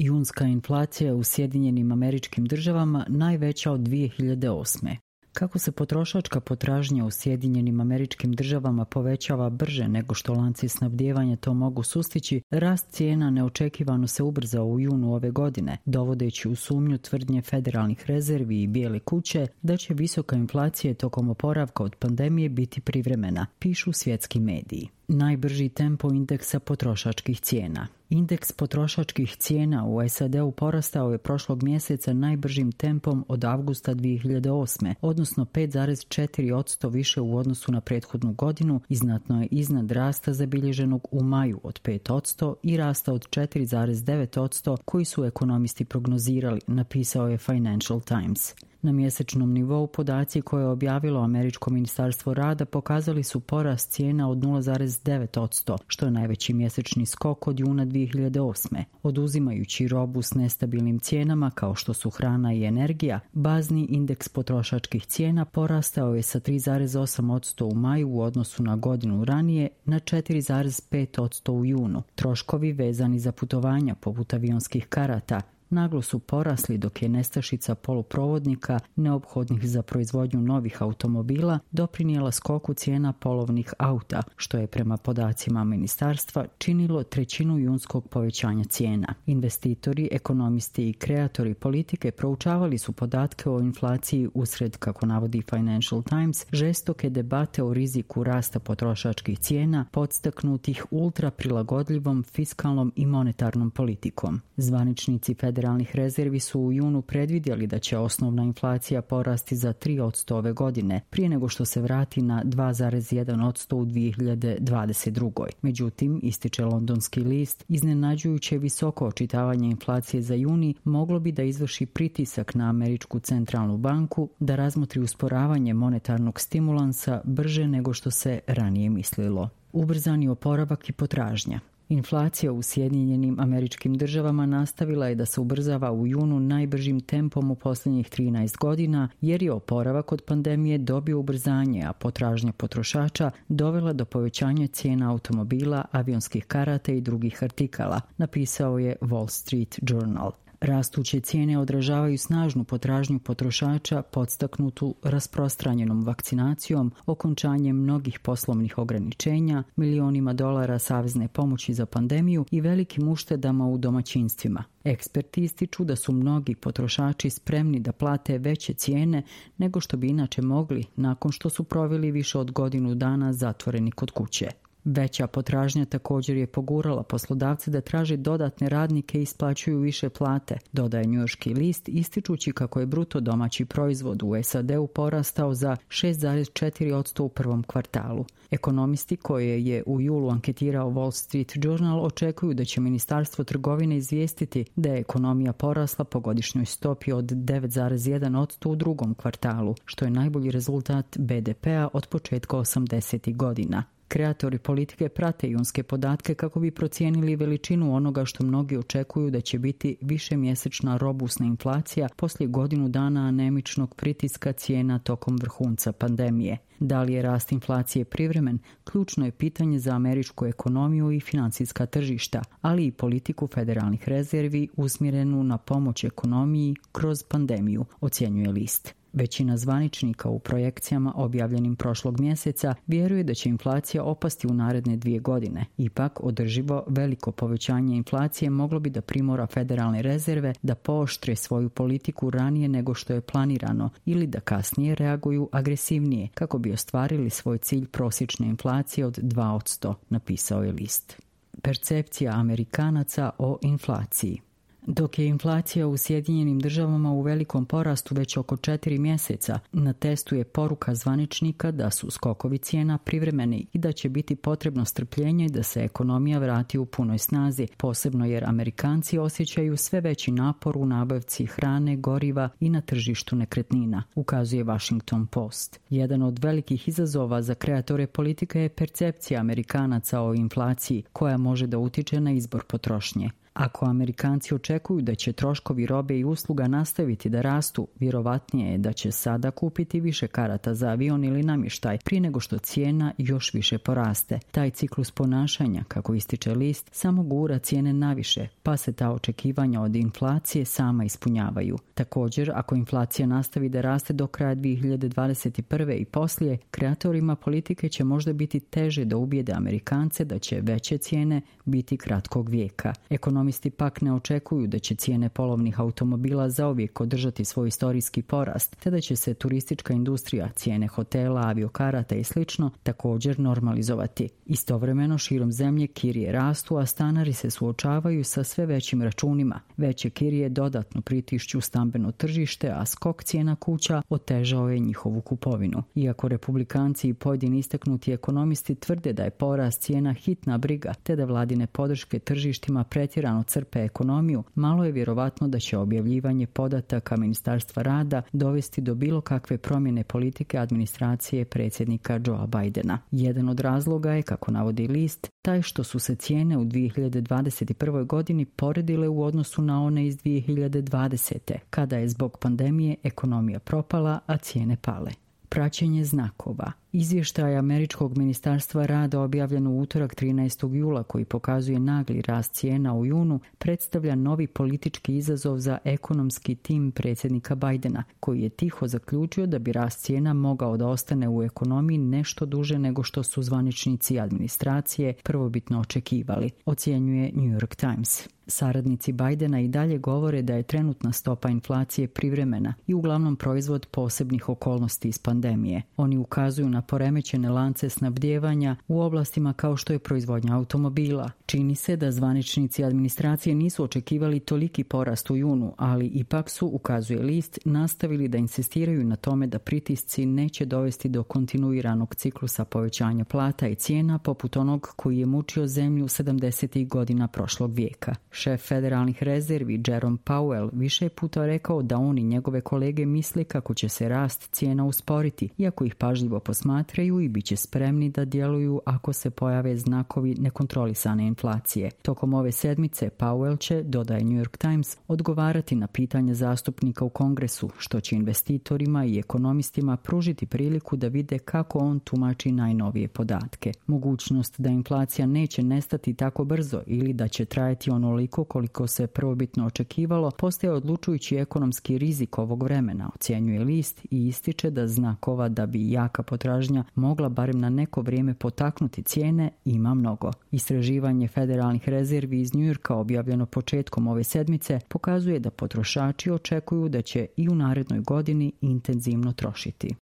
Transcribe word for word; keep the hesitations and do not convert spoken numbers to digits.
Junska inflacija u Sjedinjenim Američkim Državama najveća od dvije hiljade osme. Kako se potrošačka potražnja u Sjedinjenim Američkim Državama povećava brže nego što lanci snabdijevanja to mogu sustići, rast cijena neočekivano se ubrzao u junu ove godine, dovodeći u sumnju tvrdnje federalnih rezervi i Bijele kuće da će visoka inflacija tokom oporavka od pandemije biti privremena, pišu svjetski mediji. Najbrži tempo indeksa potrošačkih cijena. Indeks potrošačkih cijena u S A D-u porastao je prošlog mjeseca najbržim tempom od avgusta dvije hiljade osme, odnosno pet zarez četiri posto više u odnosu na prethodnu godinu i znatno je iznad rasta zabilježenog u maju od pet posto i rasta od četiri zarez devet posto koji su ekonomisti prognozirali, napisao je Financial Times. Na mjesečnom nivou podaci koje je objavilo Američko ministarstvo rada pokazali su porast cijena od nula zarez devet posto, što je najveći mjesečni skok od juna dvije hiljade osme. Oduzimajući robu s nestabilnim cijenama kao što su hrana i energija, bazni indeks potrošačkih cijena porastao je sa tri zarez osam posto u maju u odnosu na godinu ranije na četiri zarez pet posto u junu. Troškovi vezani za putovanja poput avionskih karata naglo su porasli dok je nestašica poluprovodnika neophodnih za proizvodnju novih automobila doprinijela skoku cijena polovnih auta, što je prema podacima ministarstva činilo trećinu junskog povećanja cijena. Investitori, ekonomisti i kreatori politike proučavali su podatke o inflaciji usred, kako navodi Financial Times, žestoke debate o riziku rasta potrošačkih cijena podstaknutih ultra prilagodljivom fiskalnom i monetarnom politikom. Zvaničnici federalnih Federalnih rezervi su u junu predvidjeli da će osnovna inflacija porasti za tri posto ove godine, prije nego što se vrati na dva zarez jedan posto u dvije hiljade dvadeset druge. Međutim, ističe londonski list, iznenađujuće visoko očitavanje inflacije za juni moglo bi da izvrši pritisak na Američku centralnu banku da razmotri usporavanje monetarnog stimulansa brže nego što se ranije mislilo. Ubrzani oporavak i potražnja. Inflacija u Sjedinjenim Američkim Državama nastavila je da se ubrzava u junu najbržim tempom u posljednjih trinaest godina, jer je oporavak od pandemije dobio ubrzanje, a potražnja potrošača dovela do povećanja cijena automobila, avionskih karata i drugih artikala, napisao je Wall Street Journal. Rastuće cijene odražavaju snažnu potražnju potrošača podstaknutu rasprostranjenom vakcinacijom, okončanjem mnogih poslovnih ograničenja, milionima dolara savezne pomoći za pandemiju i velikim uštedama u domaćinstvima. Eksperti ističu da su mnogi potrošači spremni da plate veće cijene nego što bi inače mogli nakon što su proveli više od godinu dana zatvoreni kod kuće. Veća potražnja također je pogurala poslodavce da traže dodatne radnike i isplaćuju više plate, dodaje njujorški list, ističući kako je bruto domaći proizvod u S A D-u porastao za šest zarez četiri posto u prvom kvartalu. Ekonomisti koje je u julu anketirao Wall Street Journal očekuju da će Ministarstvo trgovine izvijestiti da je ekonomija porasla po godišnjoj stopi od devet zarez jedan posto u drugom kvartalu, što je najbolji rezultat B D P-a od početka osamdesetih godina. Kreatori politike prate junske podatke kako bi procijenili veličinu onoga što mnogi očekuju da će biti višemjesečna robusna inflacija poslije godinu dana anemičnog pritiska cijena tokom vrhunca pandemije. Da li je rast inflacije privremen, ključno je pitanje za američku ekonomiju i financijska tržišta, ali i politiku federalnih rezervi usmjerenu na pomoć ekonomiji kroz pandemiju, ocjenjuje list. Većina zvaničnika u projekcijama objavljenim prošlog mjeseca vjeruje da će inflacija opasti u naredne dvije godine. Ipak, održivo veliko povećanje inflacije moglo bi da primora federalne rezerve da pooštre svoju politiku ranije nego što je planirano ili da kasnije reaguju agresivnije kako bi ostvarili svoj cilj prosječne inflacije od dva posto, napisao je list. Percepcija Amerikanaca o inflaciji. Dok je inflacija u Sjedinjenim Državama u velikom porastu već oko četiri mjeseca, na testu je poruka zvaničnika da su skokovi cijena privremeni i da će biti potrebno strpljenje da se ekonomija vrati u punoj snazi, posebno jer Amerikanci osjećaju sve veći napor u nabavci hrane, goriva i na tržištu nekretnina, ukazuje Washington Post. Jedan od velikih izazova za kreatore politike je percepcija Amerikanaca o inflaciji, koja može da utiče na izbor potrošnje. Ako Amerikanci očekuju da će troškovi robe i usluga nastaviti da rastu, vjerovatnije je da će sada kupiti više karata za avion ili namještaj prije nego što cijena još više poraste. Taj ciklus ponašanja, kako ističe list, samo gura cijene naviše, pa se ta očekivanja od inflacije sama ispunjavaju. Također, ako inflacija nastavi da raste do kraja dvije hiljade dvadeset prve i poslije, kreatorima politike će možda biti teže da ubijede Amerikance da će veće cijene biti kratkog vijeka. Ekonomisti pak ne očekuju da će cijene polovnih automobila zauvijek održati svoj istorijski porast, te da će se turistička industrija, cijene hotela, aviokarata i slično također normalizovati. Istovremeno širom zemlje kirije rastu, a stanari se suočavaju sa sve većim računima. Veće kirije dodatno pritišću stambeno tržište, a skok cijena kuća otežao je njihovu kupovinu. Iako republikanci i pojedini istaknuti ekonomisti tvrde da je porast cijena hitna briga, te da vladine podrške tržištima pretjerano crpe ekonomiju, malo je vjerovatno da će objavljivanje podataka Ministarstva rada dovesti do bilo kakve promjene politike administracije predsjednika Joea Bidena. Jedan od razloga je, kako navodi list, taj što su se cijene u dvije hiljade dvadeset prvoj godini poredile u odnosu na one iz dvije hiljade dvadesete. kada je zbog pandemije ekonomija propala, a cijene pale. Praćenje znakova. Izvještaj Američkog ministarstva rada objavljen u utorak trinaestog jula koji pokazuje nagli rast cijena u junu predstavlja novi politički izazov za ekonomski tim predsjednika Bidena, koji je tiho zaključio da bi rast cijena mogao da ostane u ekonomiji nešto duže nego što su zvaničnici administracije prvobitno očekivali, ocjenjuje New York Times. Saradnici Bidena i dalje govore da je trenutna stopa inflacije privremena i uglavnom proizvod posebnih okolnosti iz pandemije. Oni ukazuju na poremećene lance snabdijevanja u oblastima kao što je proizvodnja automobila. Čini se da zvaničnici administracije nisu očekivali toliki porast u junu, ali ipak su, ukazuje list, nastavili da insistiraju na tome da pritisci neće dovesti do kontinuiranog ciklusa povećanja plata i cijena poput onog koji je mučio zemlju sedamdesetih godina prošlog vijeka. Šef federalnih rezervi Jerome Powell više puta rekao da on i njegove kolege misle kako će se rast cijena usporiti, iako ih pažljivo posmatraju i bit će spremni da djeluju ako se pojave znakovi nekontrolisane inflacije. Tokom ove sedmice Powell će, dodaje New York Times, odgovarati na pitanja zastupnika u Kongresu, što će investitorima i ekonomistima pružiti priliku da vide kako on tumači najnovije podatke. Mogućnost da inflacija neće nestati tako brzo ili da će trajati onoliko koliko se prvobitno očekivalo postaje odlučujući ekonomski rizik ovog vremena, ocjenjuje list i ističe da znakova da bi jaka potražnja mogla barem na neko vrijeme potaknuti cijene ima mnogo. Istraživanje federalnih rezervi iz New Yorka objavljeno početkom ove sedmice pokazuje da potrošači očekuju da će i u narednoj godini intenzivno trošiti.